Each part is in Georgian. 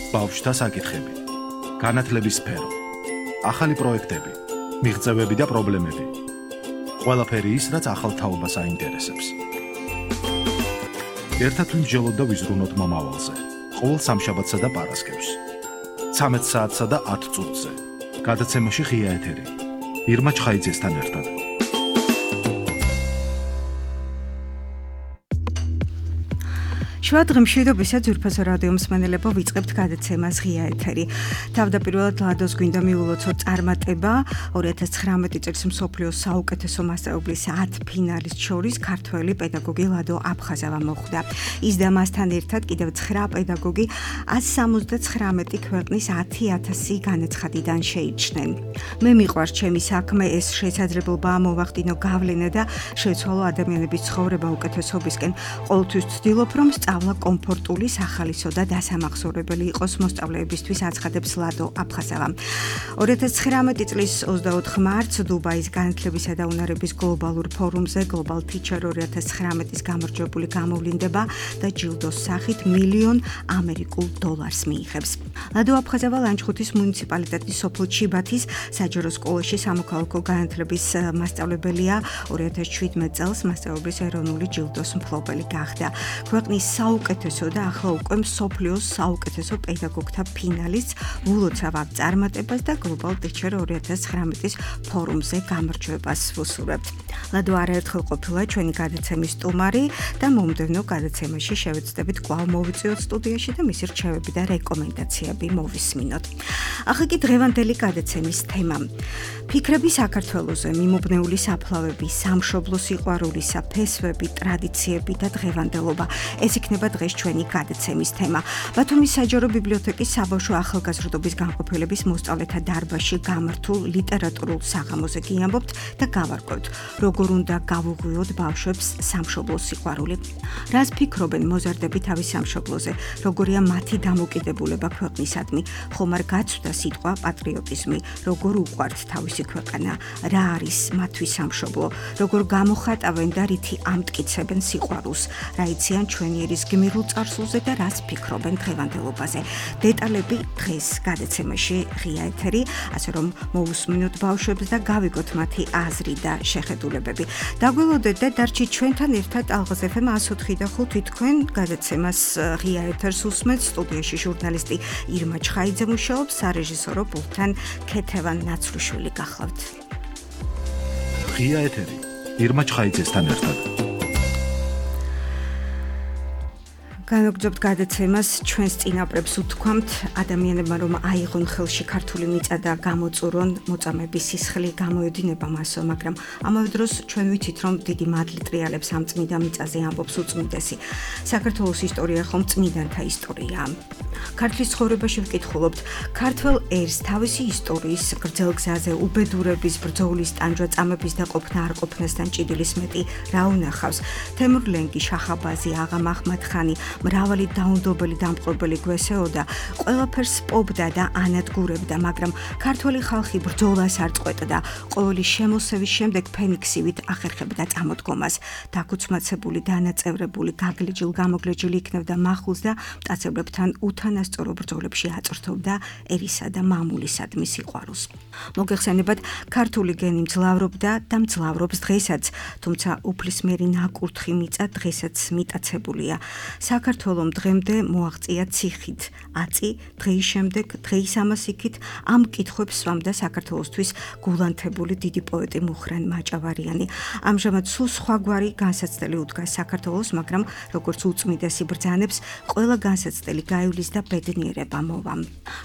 ბავშვთა საკითხები, განათლების სფერო, ახალი პროექტები, მიღწევები და პრობლემები. ყველაფერი ის, რაც ახალ თაობას აინტერესებს. ერთად ვიმსჯელოთ და ვიზრუნოთ მომავალზე. ყოველ სამშაბათსა და პარასკევს. 13 საათსა და 10 წუთზე. გადაცემაში ღია ეთერი. ირმა ჩხაიძესთან ერთად. შვადღმშვიდობისა ძვირფასო რადიო მსმენელებო, ვიწყებთ გადაცემას ღია ეთერი. თავდაპირველად ლადოს გვინდა მიულოცოთ წარმატება 2019 წელს მსოფლიოს საუკეთესო მასწავლებლის 10 ფინალის შორის ქართველი პედაგოგი ლადო აფხაზავა მოხვდა. ის და მასთან ერთად კიდევ 9 პედაგოგი 179 ქვეყნის 10,000 განაცხადიდან შეიჩნენ. მე მიყვარს ჩემი საქმე, ეს შესაძლებლობაა მოვახდინო გავლენა და შევცვალო ადამიანების ცხოვრება უკეთესობისკენ. ყოველთვის ვცდილობ, რომ კომფორტული, სახალისო და დასამახსოვრებელი იყოს მოსწავლეებისთვის, აცხადებს ლადო აფხაზავა. 2019 წლის 24 მარტს დუბაის განათლებისა და უნარების გლობალურ ფორუმზე Global Teacher 2019-ის გამარჯვებული გამოვლინდება და ჯილდოს სახით $1,000,000 ამერიკულ მიიღებს. ლადო აფხაზავა ლანჩხუთის მუნიციპალიტეტის სოფელ ჩიბათის საჯარო სკოლაში სამოქალაქო განათლების მასწავლებელია. 2017 წელს მასწავლებლის ეროვნული ჯილდოს მფლობელი გახდა. ქვეყნის საუკეთესო და ახლა უკვე მსოფლიოს საუკეთესო პედაგოგთა ფინალის ულოცავ წარმატებას და Global Teacher 2019-ის ფორუმზე გამარჯვებას ვუსურვებთ. ლადო არაერთხელ ყოფილა ჩვენი გადაცემის სტუმარი და მომდევნო გადაცემაში შევეცდებით კვლავ მოვიწვიოთ სტუდიაში და მისი რჩევები და რეკომენდაციები მოვისმინოთ. ახლა კი დღევანდელი გადაცემის თემა. ფიქრები საქართველოზე, მიმობნეული საფლავები, სამშობლო სიყვარულისა, ფესვები, ტრადიციები და დღევანდელობა. ეს იქნება დღეს ჩვენი გადაცემის თემა. ბათუმის საჯარო ბიბლიოთეკის საბავშვო ახალგაზრდობის განყოფილების მოსწავლეთა დარბაზში გამართულ ლიტერატურულ საღამოზე გიამბობთ და გავარკვევთ, როგორ უნდა გავუღვიოთ ბავშვებს სამშობლო სიყვარული. რას ფიქრობენ მოზარდები თავის სამშობლოზე, როგორია მათი დამოკიდებულება ქვეყნისადმი, ხომ არ გაცვდა სიტყვა პატრიოტიზმი, როგორ უყვართ თავისი ქვეყანა, რა არის მათთვის სამშობლო, როგორ გამოხატავენ და რითი ამტკიცებენ სიყვარულს, რა იციან ჩვენიერის გმირულ წარსულზე და რას ფიქრობენ დღევანდელობაზე. დეტალები დღეს გადაცემაში ღია ეთერი, ასე რომ მოვუსმინოთ ბავშვებს და გავიგოთ მათი აზრი და შეხედულებები. დაგველოდეთ და დარჩით ჩვენთან ერთად ალღაზ FM 104.5 თქვენ გადაცემას ღია ეთერს უსმენთ. სტუდიაში ჟურნალისტი ირმა ჩხაიძე მუშაობს, სარეჟისორო პულტთან ქეთევან ნაცრუშვილი გახლავთ. ღია ეთერი ირმა ჩხაიძესთან ერთად. განაგრძობთ გადაცემას, ჩვენს წინაპრებს უთქვამთ, ადამიანებმა რომ აიღონ ხელში ქართული მიწა და გამოწურონ, მოწამების სისხლი გამოედინება მასო, მაგრამ ამავე დროს ჩვენ ვიცით, რომ დიდი მადლი ტრიალებს ამ წმინდა მიწაზე, ამბობს უწმინდესი. საქართველოს ისტორია ხომ წმინდანთა ისტორიაა. ქართლის ცხოვრებაში ვკითხულობთ, ქართველ ერს თავისი ისტორიის გრძელ გზაზე უბედურების, ბრძოლის, ტანჯვა-წამების და ყოფნა არ ყოფნასთან ჭიდილის მეტი რა უნახავს. თემურ ლენგი, შახაბაზი, აღა მაჰმად-ხანი, მრავალი დაუნდობელი დამპყრობელი გვესეოდა, ყველაფერს პობდა და ანადგურებდა, მაგრამ ქართველი ხალხი ბრძოლას არ წყვეტდა, ყოველი შემოსევის შემდეგ ფენიქსივით ახერხებდა წამოდგომას. დაქუცმაცებული, დანაწევრებული, გაგლეჯილ გამოგლეჯილი იქნებდა მახულს და მტაცებლებთან უთანასწორო ბრძოლებში აწვრთობდა ერისა და მამულისადმი სიყვარულს. მოგეხსენებათ, ქართული გენი მძლავრობდა და მძლავრობს დღესაც, თუმცა უფლისმერი ნაკურთხი მიწა დღესაც მიტაცებულია. საქართველომ დღემდე მოაღწია ციხით, აწი, დღეის შემდეგ, დღეის ამას იქით, ამ კითხვებს სვამდა საქართველოსთვის გულანთებული დიდი პოეტი მუხრან მაჭავარიანი. ამჟამად სულ სხვაგვარი განსაცდელი უდგას საქართველოს, მაგრამ როგორც უწმიდესი ბრძანებს, ყველა განსაცდელი გაივლის და ბედნიერება მოვა.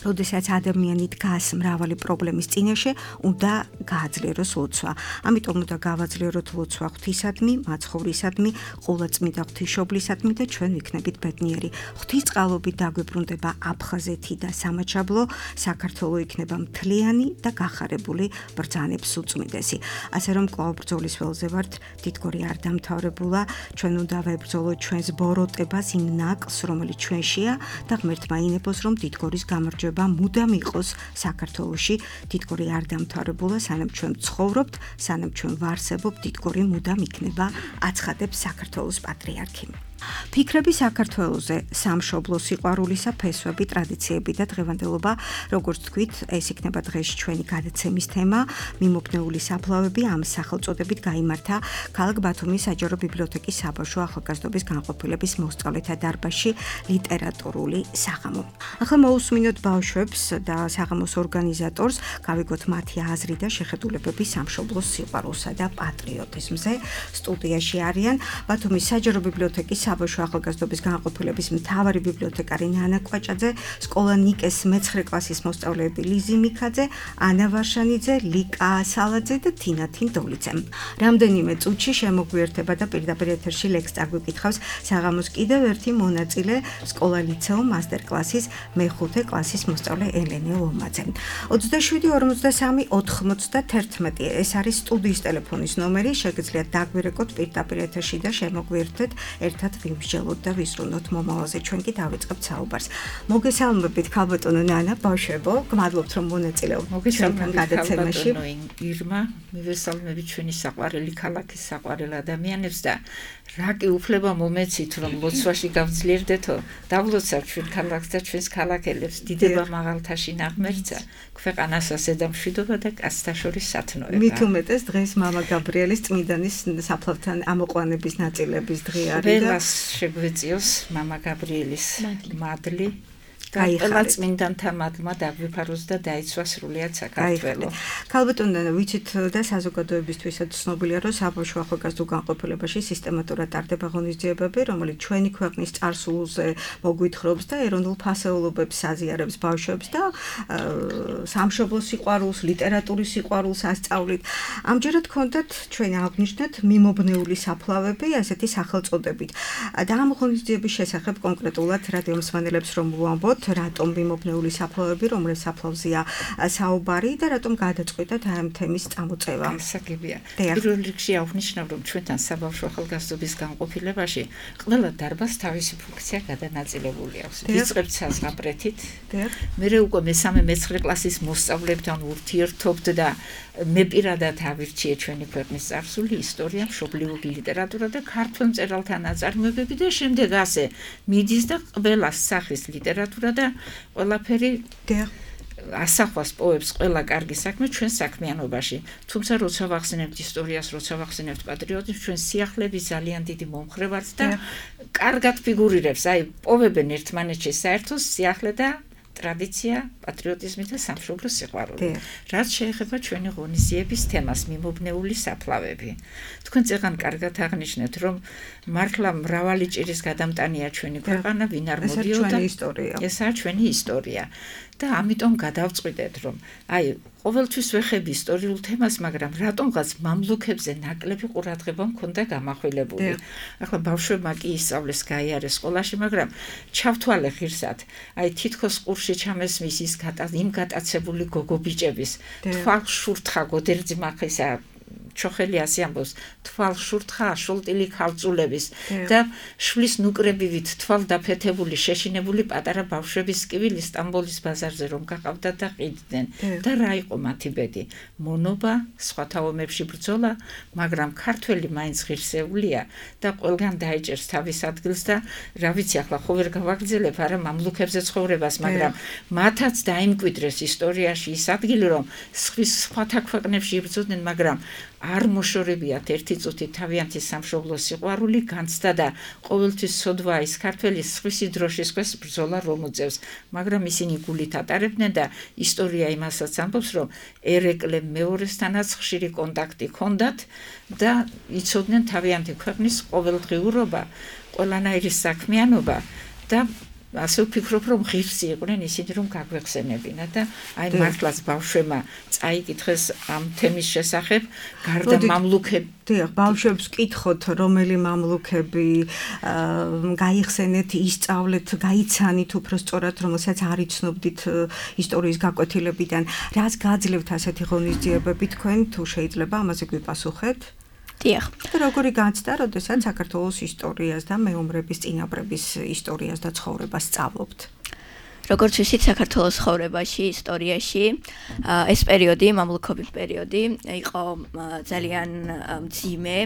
როდესაც ადამიანი დგას მრავალი პრობლემის წინაშე, უნდა გააძლიეროს ლოცვა. ამიტომ უნდა გავაძლიეროთ ლოცვა ღვთისადმი, მაცხოვრისადმი, ყოვლადწმიდა ღვთისმშობლისადმი და ჩვენ ვიქნებით ბედნიერი. ღვთისწყალობით დაგვიბრუნდება აფხაზეთი და სამაჩაბლო, საქართველო იქნება მთლიანი და გახარებული ბრძანებს უწმიდესი. ასე რომ კვლავ ბრძოლის ველზე ვართ, დიდგორი არ დამთავრებულა, ჩვენ უნდა ვებრძოლოთ ჩვენს ბოროტებას, იმ ნაკლს, რომელიც ჩვენშია და ღმერთმა ინებოს, რომ დიდგორის გამარჯვება მუდამ იყოს საქართველოში. დიდგორი არ დამთავრებულა, სანამ ჩვენ ცხოვრობთ, სანამ ჩვენ ვარსებობთ, დიდგორი მუდამ იქნება, აცხადებს საქართველოს პატრიარქი. ფიქრები საქართველოზე, სამშობლო, სიყვარულისა ფესვები, ტრადიციები და დღევანდელობა, როგორც თქვით, ეს იქნება დღეს ჩვენი გადაცემის თემა. მიმობნეული საფლავები ამ სახელწოდებით გაიმართა ქალაქ ბათუმის საჯარო ბიბლიოთეკის საბავშვო ახალგაზრდობის განყოფილების მოსწავლეთა დარბაზში ლიტერატურული საღამო. ახლა მოусმინოთ ბავშვებს და საღამოს ორგანიზატორს, გავიგოთ მათი აზრი და შეხედულებები სამშობლოს სიყვარულსა და პატრიოტიზმზე. სტუდიაში არიან ბათუმის საჯარო ბიბლიოთეკის საბავშვო ახალგაზრდობის განყოფილების მთავარი ბიბლიოთეკარი ნანა კვაჭაძე, სკოლა ნიკეს მე-9 კლასის მოსწავლეები ლიზი მიქაძე, ანა ვარშანიძე, ლიკა სალაძე და თინა თინდოლიძე. რამდენიმე წუთში შემოგვიერთება და პირდაპირ ეთერში ლექს წაგვიკითხავს საღამოს კიდევ ერთი მონაწილე, სკოლა ლიცეო მასტერ-კლასის მე-5 კლასის მოსწავლე ელენე ლომაძე. 27 43 91 ეს არის სტუდიის ტელეფონის ნომერი, შეგიძლიათ დაგვირეკოთ პირდაპირ ეთერში და შემოგვიერთდეთ, ერთად ვიმსჯელოთ და ვიზრუნოთ მომავალზე. ჩვენ კი დავიწყებთ საუბარს. მოგესალმებით ქალბატონო ნანა, ბავშვებო, გმადლობთ რომ მონაწილეობთ ჩვენთან გადაცემაში. ირმა, მივესალმებით ჩვენი საყვარელი ქალაქის საყვარელ ადამიანებს და რა კი უფლება მომეცით რომ ლოცვაში გავძლიერდეთო, დავლოცავ ჩვენ ქალაქს და ჩვენს ქალაქელებს, დიდება მაღალთაში ნაღმერთსა, ქვეყანასაც და მშვიდობა და კაცთა შორის სათნოება. მით უმეტეს დღეს მამა გაბრიელის წმინდანის საფლავთან ამოყვანების ნაწილების დღე არის და ყველას შეგვეციოს მამა გაბრიელის მადლი. ყველა წმინდანთა მადლმა დაგვიფაროს და დაიცვა სრულიად საქართველო. ქალბატონო, ვიცით და საზოგადოებისთვისაც ცნობილია, რომ საბავშვო ახალგაზრდულ განყოფილებაში სისტემატურად ტარდება ღონისძიებები, რომელიც ჩვენი ქვეყნის წარსულზე მოგვითხრობს და ეროვნულ ფასეულობებს აზიარებს ბავშვებს და სამშობლო სიყვარულს, ლიტერატურის სიყვარულს ასწავლით. ამჯერად გქონდათ ჩვენ აღნიშნეთ მიმობნეული საფლავები, ასეთი სახელწოდებით. და ამ ღონისძიების შესახებ კონკრეტულად რადიომსმენელებს რომ ვუამბოთ, რატომ მიმობნეული საფლავები, რომლის საფლავზეა საუბარი და რატომ გადაწყვიტეთ ამ თემის წამოწევა. გასაგებია. პირველ რიგში აღნიშნავ, რომ ჩვენთან საბავშვო ახალგაზრდობის განყოფილებაში ყველა დარბაზს თავისი ფუნქცია გადანაწილებული აქვს. ვიწყებთ საზღაპრეთით. მერე უკვე მე-3 მე-9 კლასის მოსწავლეებთან ურთიერთობთ და მე პირადად ავირჩიე ჩვენი ქვეყნის წარსული, ისტორია, მშობლიური ლიტერატურა და ქართველ მწერალთა ნაწარმოებები და შემდეგ ასე მიდის და ყველა სახის ლიტერატურა და ყველაფერი ასახვას პოებს ყველა კარგი საქმე ჩვენ საქმიანობაში. თუმცა როცა ვახსენებთ ისტორიას, როცა ვახსენებთ პატრიოტიზმს, ჩვენ სიახლეები ძალიან დიდი მომხრე ვართ და კარგად ფიგურირებს, აი პოვებენ ერთმანეთში საერთო სიახლე და ტრადიცია, პატრიოტიზმი და სამშობლო სიყვარული. რაც შეეხება ჩვენი ღონისძიების თემას, მიმობნეული საფლავები. თქვენ წეგან კარგად აღნიშნეთ, რომ მართლა მრავალი ჭირის გადამტანია ჩვენი ქვეყანა, ვინ არ მოდიოდა. ესაა ჩვენი ისტორია. და ამიტომ გადავწყვიტეთ, რომ აი ყოველთვის ვეხები ისტორიულ თემას, მაგრამ რატომღაც მამლუქებზე ნაკლები ყურადღება მქონდა გამახვილებული. ახლა ბავშვებმა კი ისწავლეს, გაიარეს სკოლაში, მაგრამ ჩავთვალე ღირსად, აი თითქოს ყურში ჩამესმის ის იმ გატაცებული გოგობიჭების თვალს შურთხა გოდერძი მახისა ჩოხელი ასე ამბობს, თვალ შურთხა აშოლტილი ქალწულების და შვილის ნუკრებივით თვალ დაფეთებული შეშინებული პატარა ბავშვების კივილი სტამბოლის ბაზარზე რომ გაყავდათ და ყიდნენ და რა იყო მათი ბედი? მონობა, სხვათა ომებში ბრძოლა, მაგრამ ქართველი მაინც ღირსეულია და ყველგან დაეჭერს თავის ადგილს და რა ვიცი, ახლა ხო ვერ გავაგრძელებ არა მამლუქებზე ცხოვრებას, მაგრამ მათაც დაიმკვიდრეს ისტორიაში ის ადგილი, რომ სხვათა ქვეყნებში იბრძოდნენ, მაგრამ არ მოშორებიათ ერთი წუთი თავიანთი სამშობლო სიყვარული განცდა და ყოველთვის სოდვა ის ქართველის სხვისი დროშის ქვეშ ბრძოლა რომ უწევს, მაგრამ ისინი გულით ატარებდნენ და ისტორია იმასაც ამბობს, რომ ერეკლე მეორესთანაც ხშირი კონტაქტი ჰქონდათ და იცოდნენ თავიანთი ქვეყნის ყოველდღიურობა, ყველანაირი საქმიანობა და ასე ვფიქრობ, რომ ღირსი იყვნენ ისინი, რომ გაგვეხსენებინა და აი მართლაც ბავშვებმა წაიკითხეს ამ თემის შესახებ, გარდა მამლუქები. ბავშვებს კითხოთ, რომელი მამლუქები გაიხსენეთ, ისწავლეთ, გაიცანით უფრო სწორად, რომელსაც არ იცნობდით ისტორიის გაკვეთილებიდან. რას გაძლევთ ასეთი ღონისძიებები თქვენ, თუ შეიძლება ამაზე გვიპასუხეთ? დიახ. და როგორი განცდა, როდესაც საქართველოს ისტორიას და მეომრების წინაპრების ისტორიას და ცხოვრებას სწავლობთ? როგორც ვიცით, საქართველოს ცხოვრებაში, ისტორიაში ეს პერიოდი, მამლუქობის პერიოდი, იყო ძალიან მძიმე.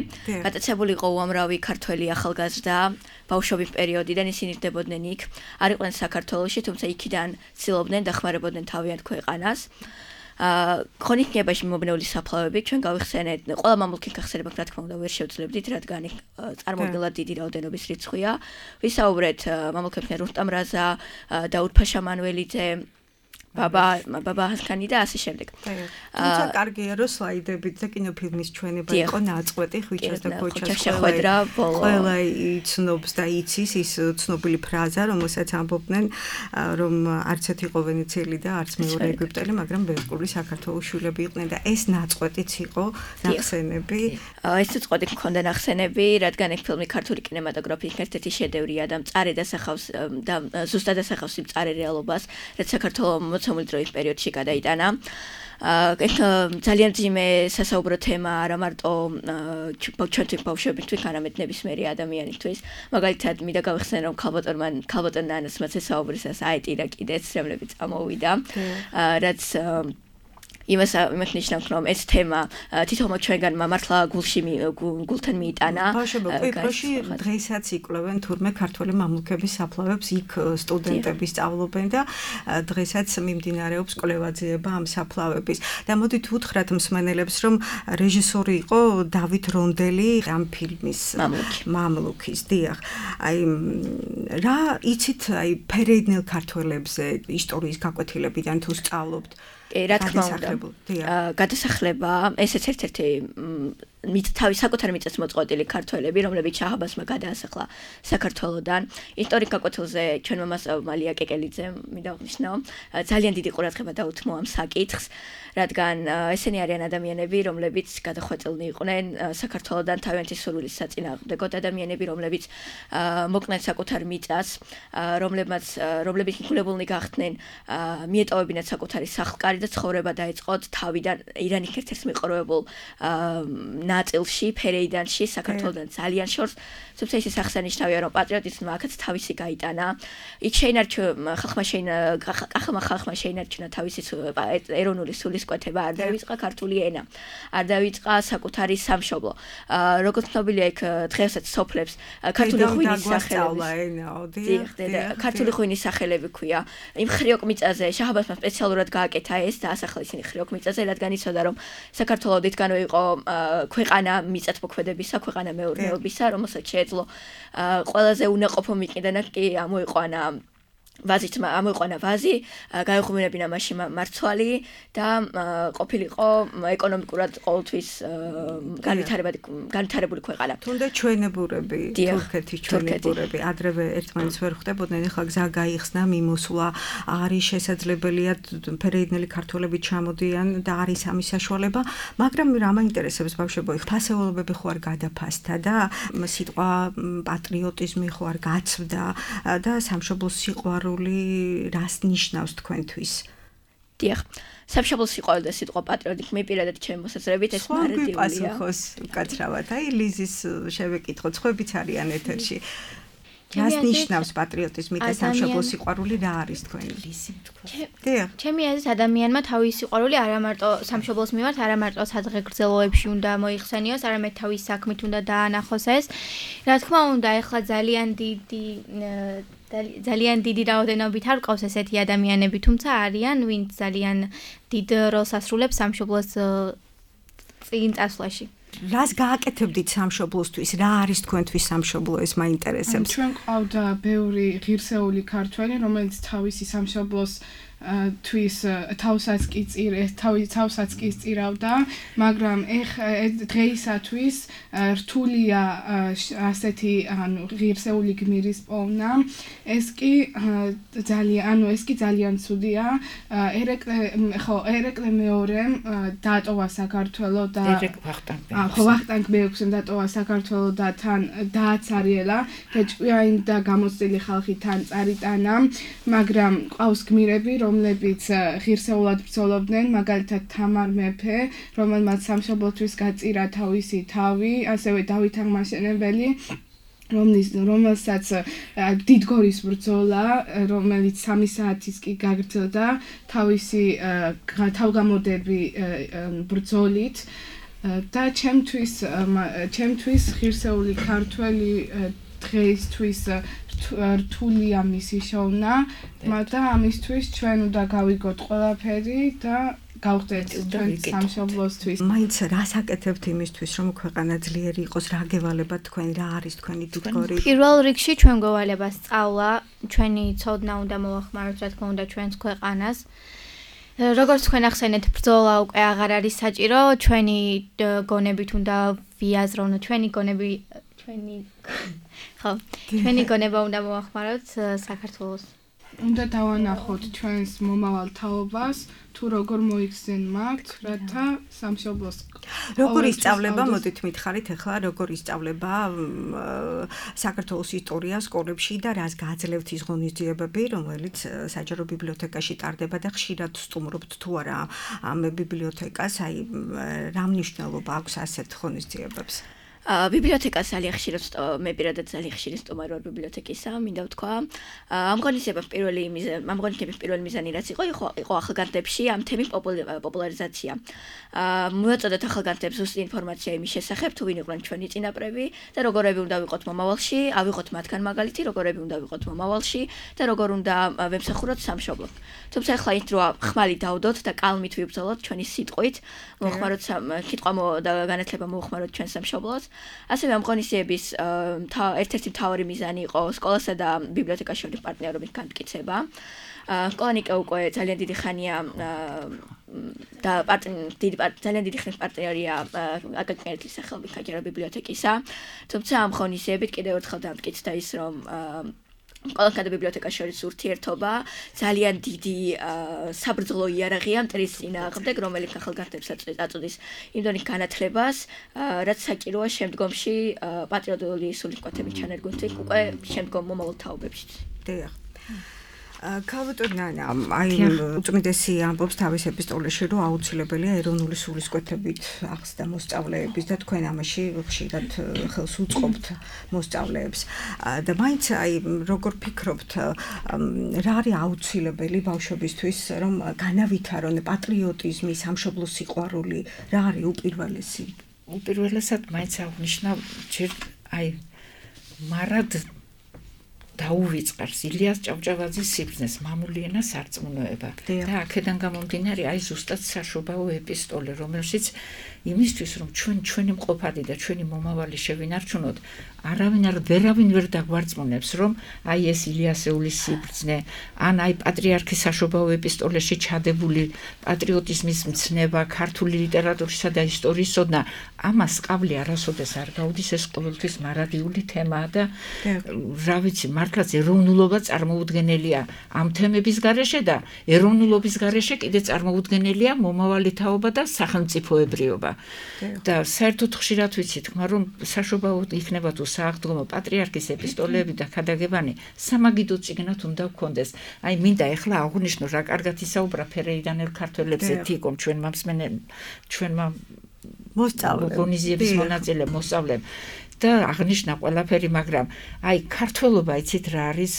გატაცებული იყო უამრავი ქართველი ახალგაზრდა ბავშვობის პერიოდიდან, ისინი რდებოდნენ იქ, არ იყვნენ საქართველოში, თუმცა იქიდან ცდილობდნენ დახმარებოდნენ თავიანთ ქვეყანას. ქრონიკებაში მომბნეული საფლავები ჩვენ გავიხსენეთ, ყველა მამლუქი გახსენება, რა თქმა უნდა, ვერ შევძლებდით, რადგან წარმოუდგენლად დიდი რაოდენობის რიცხვია. ვისაუბრეთ მამლუქებთან რუსტამ რაზა, დაუდ ფაშა მანველიძე, ბაბა ჰასქანი და ასე შემდეგ. თუმცა კარგია რომ სლაიდებით და კინოფილმის ჩვენება იყო ნაწყვეტი ხვიჩას და ქოჩას ყველა იცნობს და იცის ის ცნობილი ფრაზა, რომელსაც ამბობდნენ, რომ არც ერთი იყო ვენეციელი და არც მეორე ეგვიპტელი, მაგრამ ბერკული საქართველოს შვილები იყვნენ და ეს ნაწყვეტიც იყო ნახსენები. ეს ნაწყვეტი მქონდა ნახსენები, რადგან ეს ფილმი ქართული კინემატოგრაფიის ერთ-ერთი შედევრია და მწარე დასახავს და ზუსტად დასახავს იმ მწარე რეალობას, რაც საქართველოს მოცემული დროის პერიოდში გადაიტანა. ძალიან მძიმე სასაუბრო თემა არა მარტო ჩვენთვის ბავშვებისთვის, არამედ ნებისმიერი ადამიანისთვის. მაგალითად, მინდა გავიხსენო, რომ ქალბატონ ნანას მოსაუბრისას აეტირა კიდეც, რომლებიც წამოვიდა, რაც იმას ნიშნავს, რომ ეს თემა თითოეულ ჩვენგანმა მართლა გულთან მიიტანა. ბავშვებში დღესაც იკვლევენ თურმე ქართველი მამლუქების საფლავებს, იქ სტუდენტები სწავლობენ და დღესაც მიმდინარეობს კვლევა-ძიება ამ საფლავების. და მოდით უთხრათ მსმენელებს, რომ რეჟისორი იყო დავით რონდელი ამ ფილმის მამლუქის. დიახ. აი რა იცით აი ფერეიდნელ ქართველებზე ისტორიის გაკვეთილებიდან თუ სწავლობთ? რა თქმა უნდა, გადასახლება, ესეც ერთ-ერთი თავის საკუთარ მიწას მოწყვეტილი ქართველები, რომლებიც შაჰაბასმა გადაასახლა საქართველოდან. ისტორიკ გაკვეთილზე ჩვენმა მასწავლებელმა მალია კეკელიძემ მინდა აღნიშნო, ძალიან დიდი ყურადღება დაუთმო ამ საკითხს, რადგან ესენი არიან ადამიანები, რომლებიც გადახვეწილნი იყვნენ საქართველოდან თავიანთი სურვილის საწინააღმდეგოდ, ადამიანები, რომლებიც მოკნენ საკუთარ მიწას, რომლებიც მიგულებულნი გახდნენ მიეტოვებინათ საკუთარი სახლკარი და ცხოვრება დაეწყოთ თავიდან ირანის ერთ-ერთ მიყრუებულ ნაწილში, ფერეიდანში, საქართველოდან ძალიან შორს, თუმცა ისე აღსანიშნავია, რომ პატრიოტიზმმა აქაც თავისი გაიტანა. იქ ხალხმა შეინარჩუნა თავისი ეროვნული სულისკვეთება, არ დაივიწყა ქართული ენა, არ დაივიწყა sakutari სამშობლო. როგორც ცნობილია, იქ დღესაც სოფლებს ქართული ღვინის სახელები. ქართული ღვინის სახელები ქვია. იმ ხრიოკ მიწაზე შაჰაბასმა სპეციალურად გააკეთა ეს და ასახლა ისინი ხრიოკ მიწაზე, რადგან იცოდა, რომ საქართველოს დიდგანვე იყო ქვეყანა მიწათმოქმედებისა, ქვეყანა მეურნეობისა, რომელსაც შეეძლო ყველაზე უნაყოფო მიყიდანა კი ამოიყვანა ვაზი, გაეღვივინებინა მაშინ მარცვალი და ყოფილიყო ეკონომიკურად ყოველთვის განვითარებული ქვეყანა. თუნდაც ჩვენებურები, თურქეთის ჩვენებურები, ადრევე ერთმანეთს ვერ ხვდებოდნენ, ახლა გზა გაიხსნა, მიმოსვლა არის შესაძლებელია, ფერეიდნელი ქართველები ჩამოდიან და არის ამის საშუალება, მაგრამ რა მაინტერესებს ბავშვებო, ფასეულობები ხო არ გადაფასდა და სიტყვა პატრიოტიზმი ხო არ გაცვდა და სამშობლოს სიყვარული რას ნიშნავს თქვენთვის? დიახ, სამშობლოს სიყვარული და სიტყვა პატრიოტიზმი პირადად ჩემი მოსაზრებით ეს მარადიულია. პასუხოს უკაცრავად. აი ლიზის შევეკითხოთ, ხვებიც არიან ეთერში. რას ნიშნავს პატრიოტიზმი და სამშობლოს სიყვარული რა არის თქვენი? დიახ. ჩემი აზრით ადამიანმა თავის სიყვარული არა მარტო სამშობლოს მიმართ, არა მარტო სადღეგრძელოებში უნდა მოიხსენიოს, არამედ თავის საქმით უნდა დაანახოს ეს. რა თქმა უნდა, ეხლა ძალიან დიდი რაოდენობით არ ყავს ესეთი ადამიანები, თუმცა არიან, ვინც ძალიან დიდ როლს ასრულებს სამშობლოს წინ წასვლაში. რას გააკეთებდით სამშობლოსთვის? რა არის თქვენთვის სამშობლო? ეს მაინტერესებს. ჩვენ ყავდა ბევრი ღირსეული ქართველი, რომელიც თავისი სამშობლოს თვის თავსაც კი სწირავდა, მაგრამ დღეისათვის რთულია ასეთი ღირსეული გმირის პოვნა. ეს კი ძალიან ცუდია. ერეკლე მეორემ დატოვა საქართველო და ვახტანგ მეექვსემ დატოვა საქართველო და თან დააცარიელა და ჭკვიანი და გამოცდილი ხალხი თან წარიტანა, მაგრამ ყავს გმირები, რომლებიც ღირსეულად ბრძოლობდნენ, მაგალითად თამარ მეფე, რომელმაც სამშობლოთვის გაწირა თავისი თავი, ასევე დავით აღმაშენებელი, რომელსაც დიდგორის ბრძოლა, რომელიც 3 საათის კი გაგრძელდა თავისი თავგამოდები ბრძოლით და ჩემთვის ღირსეული ქართველი დღეისთვის რთულია მისი შოვნა, მაგრამ ამისთვის ჩვენ უნდა გავიგოთ ყველაფერი და გავხდეთ ჩვენ სამშობლოსთვის. მაინც რას აკეთებთ იმისთვის, რომ ქვეყანა ძლიერი იყოს, რა გევალებათ თქვენ, რა არის თქვენი დიდგორი? პირველ რიგში ჩვენ გოვალება სწავლა, ჩვენი ცოდნა უნდა მოახმაროთ, რა თქმა უნდა, ჩვენს ქვეყანას. როგორც თქვენ ახსენეთ, ბრძოლა უკვე აღარ არის საჭირო, ჩვენი გონებით უნდა ვიაზროვნოთ, ჩვენი გონება უნდა მოახმაროთ საქართველოს. უნდა დავანახოთ ჩვენს მომავალ თაობას, თუ როგორ მოიხსენ მათ, რათა სამშობლოს. როგორ ისწავლება, მოდით მითხარით ახლა, როგორ ისწავლება საქართველოს ისტორია სკოლებში და რას გააძლევთ ის ღონისძიებები, რომელიც საჯარო ბიბლიოთეკაში ტარდება და ხშირად სტუმრობთ თუ არა ამ ბიბლიოთეკას, აი რა მნიშვნელობა აქვს ასეთ ღონისძიებებს? ბიბლიოთეკას ძალიან ხშირად მე პირადად ძალიან ხშირად სტუმარი ვარ ბიბლიოთეკისა, მინდა ვთქვა. ამ ღონისძიების პირველი მიზანი რაც იყო ახალგაზრდებში ამ თემის პოპულარიზაცია. მოეწოდათ ახალგაზრდებს ზუსტი ინფორმაცია იმის შესახებ, თუ ვინ იყვნენ ჩვენი წინაპრები და როგორები უნდა ვიყოთ მომავალში, ავიღოთ მათგან მაგალითი, როგორები უნდა ვიყოთ მომავალში და როგორ უნდა ვემსახუროთ სამშობლოდ. თუმცა ახლა ის დროა ხმალი დავდოთ და კალმით ვიბრძოლოთ ჩვენი სიტყვით, მოხმაროთ კითხვა და განათლება მოხმაროთ ჩვენ სამშობლოს. ასევე ამ ღონისძიების ერთ-ერთი მთავარი მიზანი იყო სკოლასა და ბიბლიოთეკას შორის პარტნიორობის განმტკიცება. სკოლანიკა უკვე ძალიან დიდი ხანია და ძალიან დიდი ხნის პარტნიორია აკაკერტის სახელობის საჯარო ბიბლიოთეკისა. თუმცა ამ ღონისძიებით კიდევ ერთხელ დამტკიცდა ის, რომ სკოლასა და ბიბლიოთეკას შორის ურთიერთობა ძალიან დიდი საბრძოლო იარაღია მტრის წინააღმდეგ, რომელიც ახალგაზრდებს აწოდის იმ დონის განათლებას, რაც საჭიროა შემდგომში პატრიოტული სულისკვეთების ჩანერგვითი უკვე შემდგომ მომავალ თაობებში. დიახ. ქალბატონი აი უწმიდესი ამბობს თავის ეპისტოლეში, რომ აუცილებელია ეროვნული სულისკვეთებით ახსნა მოსწავლეების და თქვენ ამაში ხშირად ხელს უწყობთ მოსწავლეებს. და მაინც აი როგორ ფიქრობთ, რა არის აუცილებელი ბავშვებისთვის, რომ განავითარონ პატრიოტიზმი, სამშობლოს სიყვარული, რა არის უპირველესი? უპირველესად მაინც აღნიშნავ, ჯერ აი მარად დაუვიწყარს ილიას ჭავჭავაძის სიბრძნეს მამული ენა სარწმუნოება და აქედან გამომდინარე აი ზუსტად საშობაო ეპისტოლე, რომელშიც იმისთვის რომ ჩვენი მყოფადი და ჩვენი მომავალი შევინარჩუნოთ, ვერავინ ვერ დაგვარწმუნებს, რომ აი ეს ილიასეულის სიბრძნე, ან აი პატრიარქის საშობაო ეპისტოლეში ჩადებული პატრიოტიზმის მცნება, ქართული ლიტერატურისა და ისტორიის ოდნა, ამას ყავლი არასოდეს არ გაუდის, ეს ყოველთვის მარადიული თემაა და რა ვიცი, მართლაც ეროვნულობა წარმოუდგენელია ამ თემების გარეშე და ეროვნულობის გარეშე კიდე წარმოუდგენელია მომავალი თაობა და სახელმწიფოებრიობა. და საერთოდ ხშირად ვიცი თქმა, რომ საშობაო იქნება თუ სააღდგომო პატრიარქის ეპისტოლეები და ქადაგებანი სამაგიდო წიგნად უნდა გქონდეს. აი მინდა ეხლა აღვნიშნო, რა კარგად ისაუბრა ფერეიდანელ ქართველებზე თიკომ ჩვენმა მოსწავლეების მონაწილე მოსწავლემ და აღნიშნა ყველაფერი, მაგრამ აი ქართველობა იცით რა არის?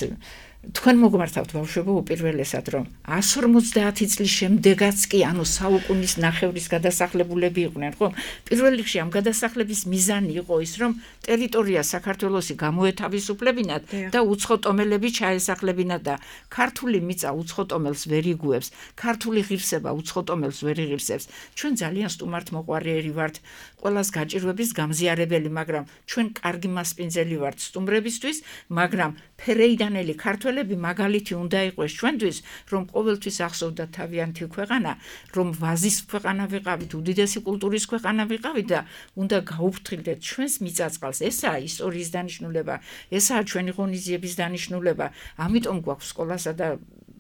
თქვენ მოგმართავთ ბავშვებო უპირველესად, რომ 150 წლის შემდეგაც კი, ანუ საუკუნის ნახევრის გადასახლებულები იყვნენ, ხო? პირველ რიგში ამ გადასახლების მიზანი იყო ის, რომ ტერიტორია საქართველოსი გამოეთავისუფლებინათ და უცხოტომელები ჩაესახლებინათ და ქართული მიწა უცხოტომელს ვერ იგუებს, ქართული ღირსება უცხოტომელს ვერ იღირსებს. ჩვენ ძალიან სტუმართმოყვარეები ვართ, ყველას გაჭირვების გამზიარებელი, მაგრამ ჩვენ კარგი მასპინძელი ვართ სტუმრებისთვის, მაგრამ ფერეიდანელი ქართველები მაგალითი უნდა იყოს ჩვენთვის, რომ ყოველთვის ახსოვდათ თავიანთი ქვეყანა, რომ ვაზის ქვეყანა ვიყავით, უდიდესი კულტურის ქვეყანა ვიყავით და უნდა გაუფრთხილდეთ ჩვენს მიწა-წყალს. ესაა ისტორიის დანიშნულება, ესაა ჩვენი ღონისძიების დანიშნულება. ამიტომ გვაქვს სკოლასა და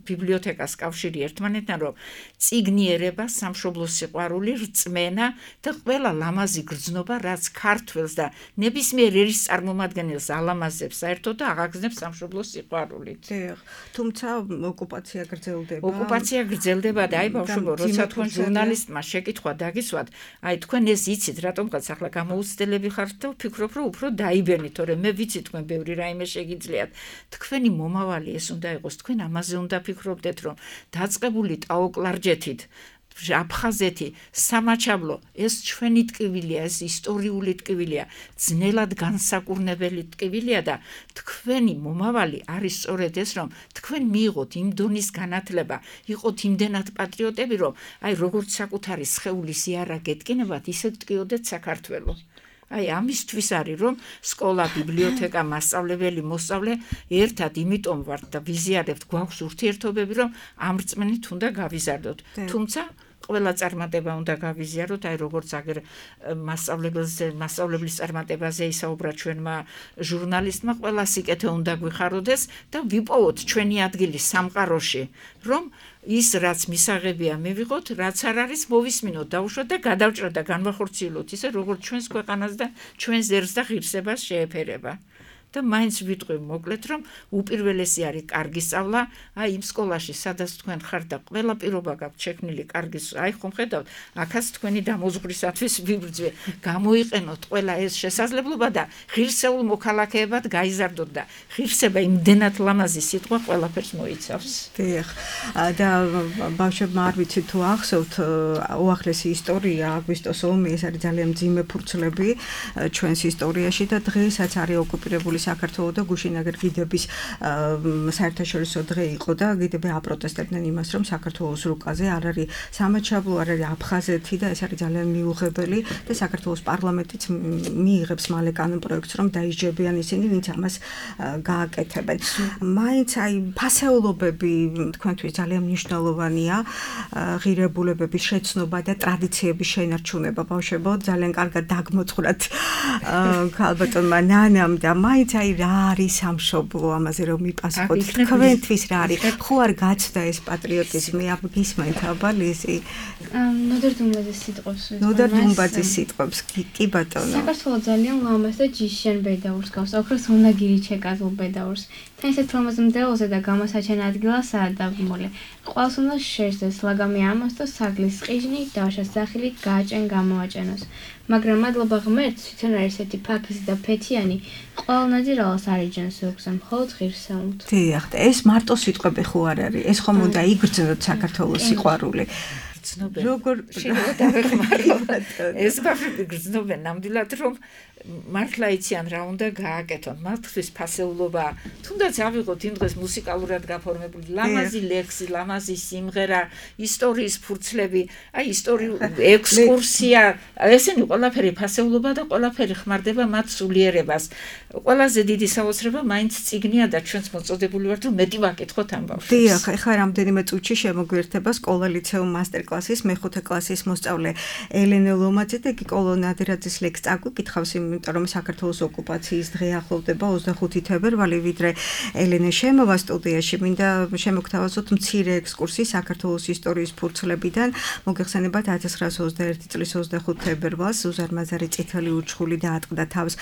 ბიბლიოთეკას კავშირი ერთმანეთთან, რომ წიგნიერება, სამშობლოს სიყვარული, რწმენა და ყველა ლამაზი გრძნობა, რაც ქართველს და ნებისმიერ ერის წარმომადგენელს ალამაზებს საერთოდ და აღაგზნებს სამშობლოს სიყვარულით. თუმცა ოკუპაცია გრძელდება. ოკუპაცია გრძელდება და აი ბავშვებო, როცა თქვენ ჟურნალისტმა შეკითხვა დაგისვათ, აი თქვენ ეს იცით, რატომღაც ახლა გამოუცდელები ხართ და ვფიქრობ, რომ უფრო დაიბენით, თორემ მე ვიცი თქვენ ბევრი რაიმე შეგიძლიათ. თქვენი მომავალი ეს უნდა იყოს, თქვენ ამაზე უნდა ფიქრობდეთ, რომ დაწყებული ტაოკლარჯეთით აფხაზეთი, სამაჩაბლო, ეს ჩვენი ტკივილია, ეს ისტორიული ტკივილია, ძნელად განსაკურნებელი ტკივილია და თქვენი მომავალი არის სწორედ ეს, რომ თქვენ მიიღოთ იმ დონის განათლება, იყოთ იმდენად პატრიოტები, რომ აი როგორც საკუთარი სხეულის იარა გეტკინებათ, ისე ტკიოდეთ საქართველო. აი ამისთვის არის, რომ სკოლა, ბიბლიოთეკა, მასწავლებელი, მოსწავლე ერთად იმიტომ ვართ და ვიზიარებთ, გვაქვს ურთიერთობები, რომ ამ რწმენით უნდა გავიზარდოთ. თუმცა ყველა წარმატება უნდა გავიზიაროთ, აი როგორც აგერ მასწავლებლის წარმატებაზე ისაუბრა ჩვენმა ჟურნალისტმა, ყველა სიკეთე უნდა გვიხაროდეს და ვიპოვოთ ჩვენი ადგილი სამყაროში, რომ ის რაც მისაღებია მივიღოთ, რაც არ არის მოვისმინოთ, დავუშვათ და გადავჭრათ და განვახორციელოთ ისე როგორც ჩვენს ქვეყანას და ჩვენ ზერს და ღირსებას შეეფერება. და მაინც ვიტყვი მოკლედ, რომ უპირველესი არის კარგი სწავლა, აი იმ სკოლაში, სადაც თქვენ ხართ და ყველა პირობა გაქვთ შექმნილი კარგი, აი ხომ ხედავთ, აქაც თქვენი დამოზღვრისათვის ვიბრძვე, გამოიყენოთ ყველა ეს შესაძლებლობა და ღირსეულ მოქალაქეებად გაიზარდოთ და ღირსება იმდენად ლამაზი სიტყვა ყველაფერს მოიცავს. დიახ. და ბავშვებმა არ ვიცი თუ ახსოვთ, უახლესი ისტორია აგვისტოს ომი, ეს არის ძალიან მძიმე ფურცლები ჩვენს ისტორიაში და დღესაც არის ოკუპირებული საქართველოს და გუშინაგერ გიდების საერთაშორისო დღე იყო და გიდები აპროტესტებდნენ იმას, რომ საქართველოს რუკაზე არ არის სამაჩაბლო, არ არის აფხაზეთი და ეს არის ძალიან მიუღებელი და საქართველოს პარლამენტიც მიიღებს მალე კანონპროექტს, რომ დაისჯებიან ისინი, ვინც ამას გააკეთებენ. მაინც აი ფასეულობები თქვენთვის ძალიან მნიშვნელოვანია, ღირებულებების შეცნობა და ტრადიციების შენარჩუნება. ბავშვებო, ძალიან კარგად დაგმოწყვრათ ქალბატონმა ნანამ და მაინც აი რა არის სამშობლო, ამაზე რომ მიპასუხოთ, თქვენთვის რა არის? ხო არ გაცდა ეს პატრიოტიზმი, გისმენთ აბა ლიზი? ნოდარ დუმბაძის სიტყვებს. ნოდარ დუმბაძის სიტყვებს, კი ბატონო. საქართველოს ძალიან ლამაზ და ჯიშენ ბედაურს გავს, ოქროს უნდა გირიჩეკაზულ ბედაურს. თან ისეთ ლამაზ მდელოზე და გამოსაჩენ ადგილასაა დაბმული. ყველს უნდა შეერთდეს ლაგამი ამას და საგლის ყიჟნი დავშას სახილით გააჭენ გამოაჭენოს. მაგრამ მადლობა ღმერთს, თვითონ არის ესეთი ფაქიზი და ფეთიანი, ყველნაირ რალს არიჯენს უგზა მხოლოდ ღირსეულთ. დიახ, ეს მარტო სიტყვები ხო არ არის, ეს ხომ უნდა იგრძნოთ საქართველოს სიყვარული. როგორ შეიძლება დავეხმაროთ? ეს ბავშვები გრძნობენ ნამდვილად, რომ მართლა იციან რა უნდა გააკეთონ, მათთვის ფასეულობა, თუნდაც ავიღოთ იმ დღეს მუსიკალურად გაფორმებული ლამაზი ლექსი, ლამაზი სიმღერა, ისტორიის ფურცლები, აი ისტორიული ექსკურსია, ესენი ყველაფერი ფასეულობა და ყველაფერი ხმარდება მათ სულიერებას. ყველაზე დიდი საოცრება მაინც წიგნია და ჩვენც მოწოდებული ვართ, რომ მეტი ვაკითხოთ ამ ბავშვებს. დიახ, ეხლა რამდენიმე წუთში შემოგვიერთება სკოლა ლიცეუმ მასტერკლასის მეხუთე კლასის მოსწავლე ელენე ლომაძე და იგი კოლონადირაძის ლექსს წაგვიკითხავს, იმიტომ რომ საქართველოს ოკუპაციის დღე ახლოვდება 25 თებერვალი, ვიდრე ელენე შემოვა სტუდიაში, მინდა შემოგთავაზოთ მცირე ექსკურსი საქართველოს ისტორიის ფურცლებიდან. მოგეხსენებათ 1921 წლის 25 თებერვალს ზუზარ მაზარი წითელი უჩხული დაატყდა თავს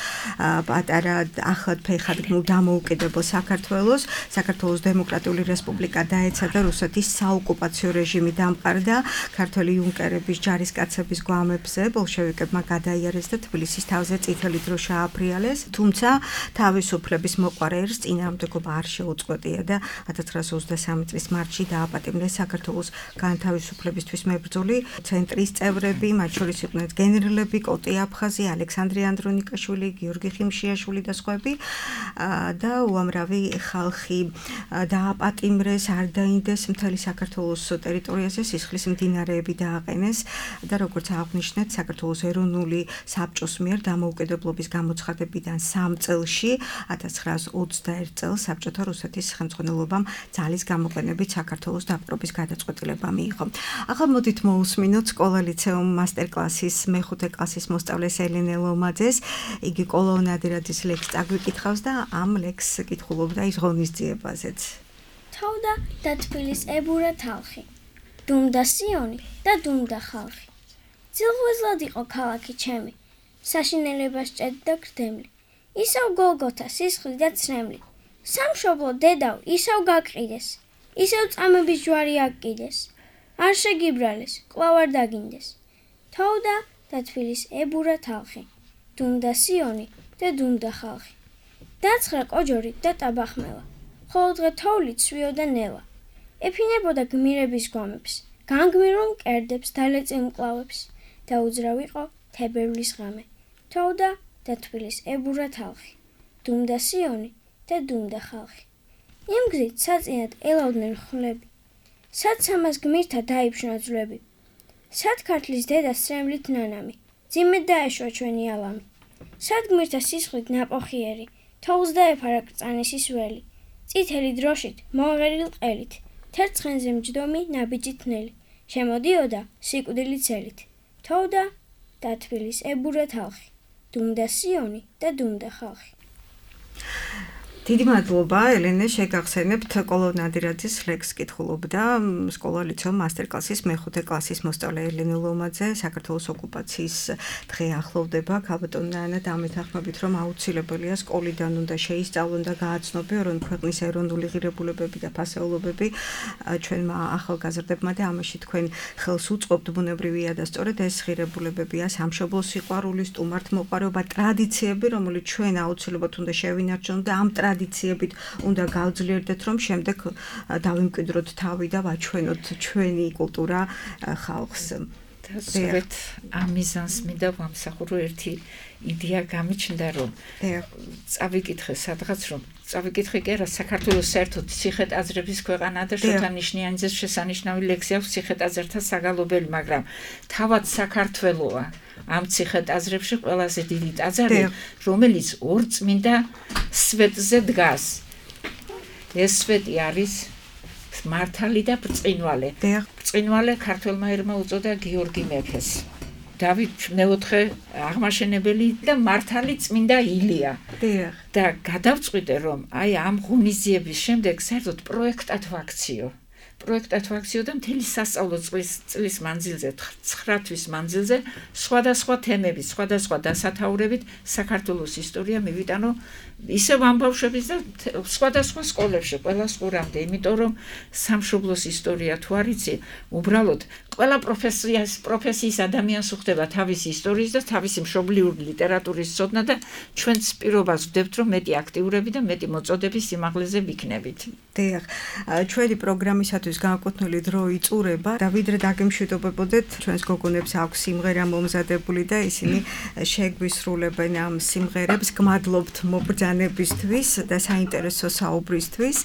პატარა ახლად ფეხად დამოუკიდებელ საქართველოს. საქართველოს დემოკრატიული რესპუბლიკა დაეცა და რუსეთის საოკუპაციო რეჟიმი დამყარდა. ქართველი იუნკერების ჯარისკაცების გვამებზე ბოლშევიკებმა გადაიარეს და თბილისის თავზე წითელი დრო შეაფრიალეს. თუმცა თავისუფლების მოყვარე ერს წინააღმდეგობა არ შეუწყვეტია და 1923 წლის მარტში დააპატიმრეს საქართველოს განთავისუფლებისთვის მებრძოლი ცენტრის წევრები, მათ შორის იყვნენ გენერლები კოტე აფხაზი, ალექსანდრე ანდრონიკაშვილი, გიორგი ხიმშიაშვილი და სხვები და უამრავი ხალხი დააპატიმრეს, არ დაინდეს მთელი საქართველოს ტერიტორიაზე, სისხლის მდინარეები დააყენეს და როგორც აღნიშნეთ, საქართველოს ეროვნული საბჭოს მიერ დამოუკიდებლობის გამოცხადებიდან 3 წელში 1921 წელს საბჭოთა რუსეთის ხელმძღვანელობამ ძალის გამოყენებით საქართველოს დაპყრობის გადაწყვეტილება მიიღო. ახლა მოდით მოусმინოთ სკოლა ლიცეუმ მასტერკლასის მეხუთე კლასის მოსწავლეს ელენე ლომაძეს. იგი კოლონადირაძის ლექსს წაგვიკითხავს და ამ ლექსს კითხულობდა ის ღონისძიებაზეც. თავდა და თბილის ებურა თალხი. დუმდა სიონი და დუმდა ხალხი. ძილღვეზლად იყო ქალაქი ჩემი, საშინელებას ჭედდა გრდემლი. ისევ გოლგოთა სისხლი და ცრემლი. სამშობლო დედავ ისევ გაკრიდეს, ისევ წამების ჯვარი აკიდეს. არ შეგიბრალეს, კვლავ არ დაგინდეს. თავდა და თბილის ებურა თალხი. დუმდა სიონი და დუმდა ხალხი. დაცხრა კოჯორი და ტაბახმელა, ხოლო დღე თოვლით სვიოდა ნელა. ეფინებოდა გმირების გვამებს, განგმირულ მკერდებს დალეწილ მკლავებს და უძრავ იყო თებერვლის ღამე. თოვდა და თბილის ებურა თალხი. დუმდა სიონი და დუმდა ხალხი. იმ გზით საწინად ელავდნენ ხვლები, სად სამას გმირთა დაიფშნა ძვლები. სად ქართლის დედა სრემლით ნანამი, ძიმედ დაეშვა ჩვენი ალამი. სად გმირთა სისხლით ნაპოხიერი, თოვლს დაეფარა კრწანისის ველი. წითელი დროშით, მონღერილ ყელით, თერცხენზე მჯდომი ნაბიჯი თნელი, შემოდიოდა სიკვდილი ცელით. თოვდა და თბილის ებურა თალხი. დუმდა სიონი და დუმდა ხალხი. დიდი მადლობა ელენე, შეგახსენებთ კოლო ნადირაძის ლექს კითხულობდა სკოლა-ლიცეუმ მასტერკლასის მეხუთე კლასის მოსწავლე ელენე ლომაძე. საქართველოს ოკუპაციის დღე ახლოვდება. ქალბატონი ნანა დამეთანხმებით, რომ აუცილებელია სკოლიდან უნდა შეისწავლონ და გააცნობენ რომ ქვეყნის ეროვნული ღირებულებები და ფასეულობები ჩვენმა ახალგაზრდებმა და ამაში თქვენ ხელს უწყობთ. ბუნებრივია და სწორედ ეს ღირებულებებია სამშობლოს სიყვარული, სტუმართმოყვარეობა, ტრადიციები, რომელიც ჩვენ აუცილებლად უნდა შევინარჩუნოთ და ამ ტრადიციებით უნდა გავძლიერდეთ, რომ შემდეგ დავიმკვიდროთ თავი და ვაჩვენოთ ჩვენი კულტურა ხალხს. სწორედ ამ მიზანს მინდა ვამსახურო ერთი იდეა გამიჩნდა, რომ წავიკითხე სადღაც, რომ წავიკითხე კი არა, საქართველოს საერთოდ ციხე-ტაძრების ქვეყანა და შოთა ნიშნიანიძეს შესანიშნავი ლექსი აქვს ციხე-ტაძრთა საგალობელი, მაგრამ თავად საქართველოა ამ ციხე-ტაძრებში ყველაზე დიდი ტაძარი, რომელიც ორ წმინდა სვეტზე დგას. ეს სვეტი არის მართალი და ბრწყინვალე. ბრწყინვალე ქართველმა ერმა უწოდა გიორგი მეფეს. დავით მეოთხე აღმაშენებელი და მართალი წმინდა ილია. და გადავწყვიტე, რომ აი ამ ღონისძიების შემდეგ საერთოდ პროექტად ვაქციო. და მთელი სასწავლო წლის მანძილზე, 9 თვის მანძილზე, სხვადასხვა თემებით, სხვადასხვა დასათაურებით საქართველოს ისტორია მივიტანო ისევ ამ ბავშვების და სხვადასხვა სკოლებში, ყველა სკოლამდე, იმიტომ რომ სამშობლოს ისტორია თუ არ იცი, უბრალოდ ყველა პროფესიის ადამიანს უხდება თავისი ისტორიის და თავისი მშობლიური ლიტერატურის ცოდნა და ჩვენც პირობას ვდებთ, რომ მეტი აქტიურები და მეტი მოწოდების სიმაღლეზე ვიქნებით. დიახ, ჩვენი პროგრამისათვის განკუთვნილი დრო იწურება და ვიდრე დაგემშვიდობებოდეთ, ჩვენს გოგონებს აქვს სიმღერა მომზადებული და ისინი შეგვისრულებენ ამ სიმღერებს. გმადლობთ მობრძანებისთვის და საინტერესო საუბრისთვის.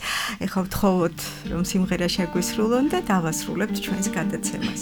ეხლა ვთხოვოთ, რომ სიმღერა შეგვისრულონ და დავასრულებთ ჩვენს გადაცემასაც. No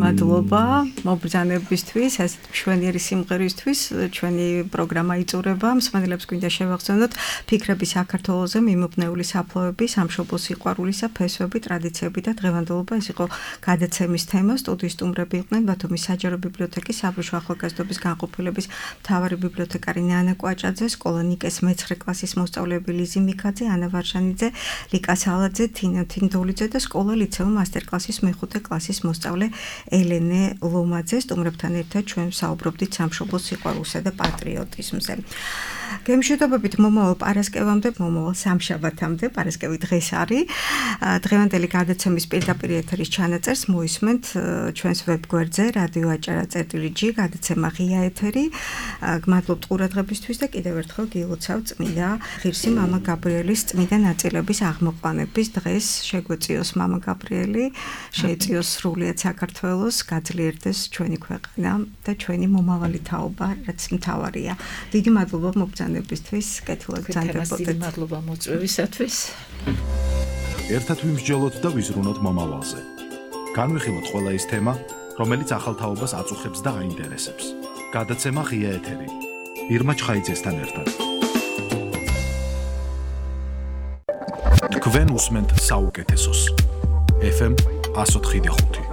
მადლობა მობრძანებისთვის, ასეთ მშვენიერი სიმღერისთვის. ჩვენი პროგრამა იწურება. მსმენელებს გვინდა შევახსენოთ ფიქრები საქართველოზე, მიმობნეული საფლავები, სამშობლოს სიყვარულისა, ფესვები, ტრადიციები და დღევანდელობა. ეს იყო გადაცემის თემა. სტუდიის სტუმრები იყვნენ ბათუმის საჯარო ბიბლიოთეკის საბრუშო ახალგაზრდობის განყოფილების მთავარი ბიბლიოთეკარი ნანა კვაჭაძე, სკოლა ნიკეს მე-9 კლასის მოსწავლეები ლიზი მიქაძე, ანა ვარშანიძე, ლიკა სალაძე, თინა თინდოლიძე და სკოლა ლიცეუმ მასტერკლასის მე-5 კლასის მოსწავლე ელენე ლომაძე. სტუმრებთან ერთად ჩვენ საუბრობდით სამშობლოს სიყვარულსა და პატრიოტიზმზე. გემშვიდობებით მომავალ პარასკევამდე, მომავალ სამშაბათამდე, პარასკევი დღეს არის. დღევანდელი გადაცემის პირდაპირ ეთერის ჩანაწერს მოისმენთ ჩვენს ვებგვერდზე radio.acara.g გადაცემა ღია ეთერი. გმადლობთ ყურადღებისთვის და კიდევ ერთხელ გილოცავ წმინდა ღირსი მამა გაბრიელის წმინდა ნაწილების აღმოყვანების დღეს. შეგვეწიოს მამა გაბრიელი, შეეწიოს სრულიად საქართველოს, გაძლიერდეს ჩვენი ქვეყანა და ჩვენი მომავალი თაობა, რაც მთავარია. დიდი მადლობა მობრძანებისთვის, კეთილად ბრძანდებოდეთ. დიდი მადლობა მოწვევისათვის. ერთად ვიმსჯელოთ და ვიზრუნოთ მომავალზე. განვიხილოთ ყველა ის თემა, რომელიც ახალ თაობას აწუხებს და აინტერესებს. გადაცემა ღია ეთერი. ირმა ჩხაიძესთან ერთად. თქვენ უსმენთ საუკეთესოს. FM 104.5